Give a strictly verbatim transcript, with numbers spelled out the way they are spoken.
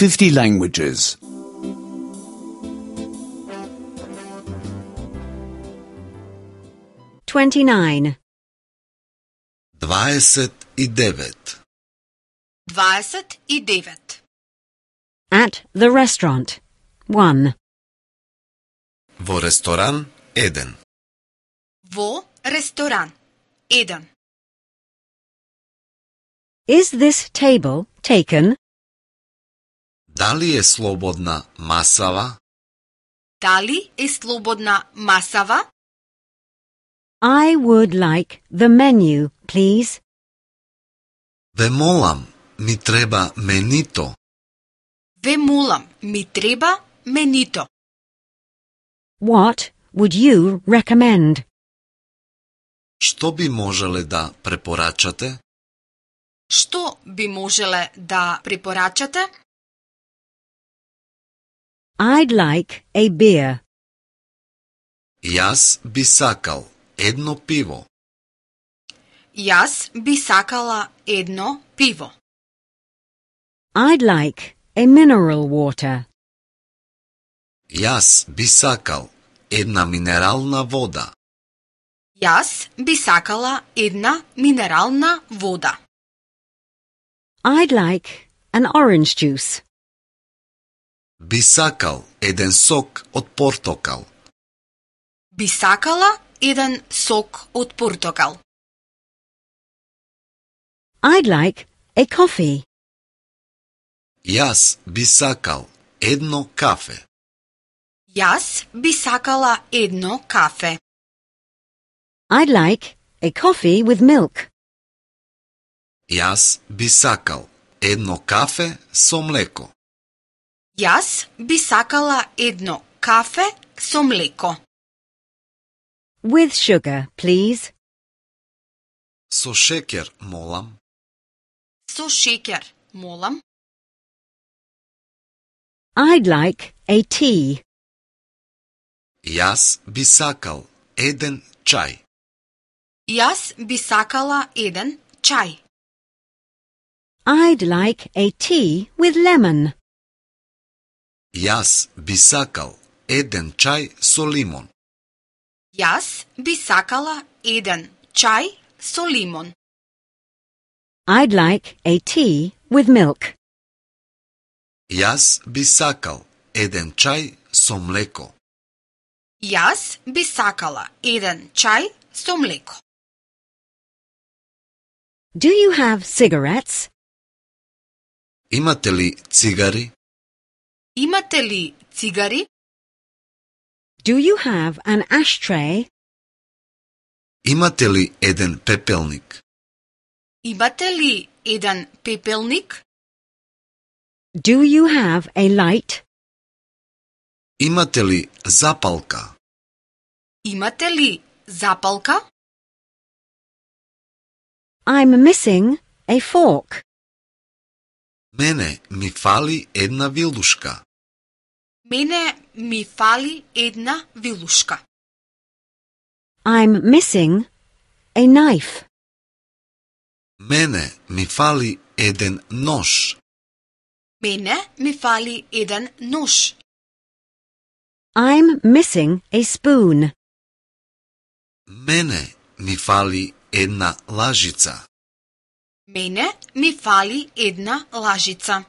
fifty languages. twenty-nine. dvadeset i devet. dvadeset i devet. At the restaurant. one. Во ресторан еден. Во ресторан. Еден. Is this table taken? Дали е слободна масава? Дали е слободна масава? I would like the menu, please. Ве молам, ми треба менито. Ве молам, ми треба менито. What would you recommend? Што би можеле да препорачате? Што би можеле да препорачате? I'd like a beer. Јас би сакал едно пиво. Јас би сакала едно пиво. I'd like a mineral water. Јас би сакал една минерална вода. Јас би сакала една минерална вода. I'd like an orange juice. Би сакал еден сок од портокал. Би сакала еден сок од портокал. I'd like a coffee. Јас би сакал едно кафе. Јас би сакала едно кафе. I'd like a coffee with milk. Јас би сакал едно кафе со млеко. Јас би сакала едно кафе со млеко. With sugar, please. Со шеќер, молам. Со шеќер, молам. I'd like a tea. Јас би сакал еден чај. Јас би сакала еден чај. I'd like a tea with lemon. Јас би сакал еден чај со лимон. Јас би сакала еден чај со лимон. I'd like a tea with milk. Јас би сакал еден чај со млеко. Јас би сакала еден чај со млеко. Do you have cigarettes? Имате ли цигари? Имате ли цигари? Do you have an ashtray? Имате ли еден пепелник? Имате ли еден пепелник? Do you have a light? Имате ли запалка? Имате ли запалка? I'm missing a fork. Мене ми фали една вилушка. Мене ми фали една вилушка. I'm missing a knife. Мене ми фали еден нож. Мене ми фали еден нож. I'm missing a spoon. Мене ми фали една лажица. Мене ми фали една лажица.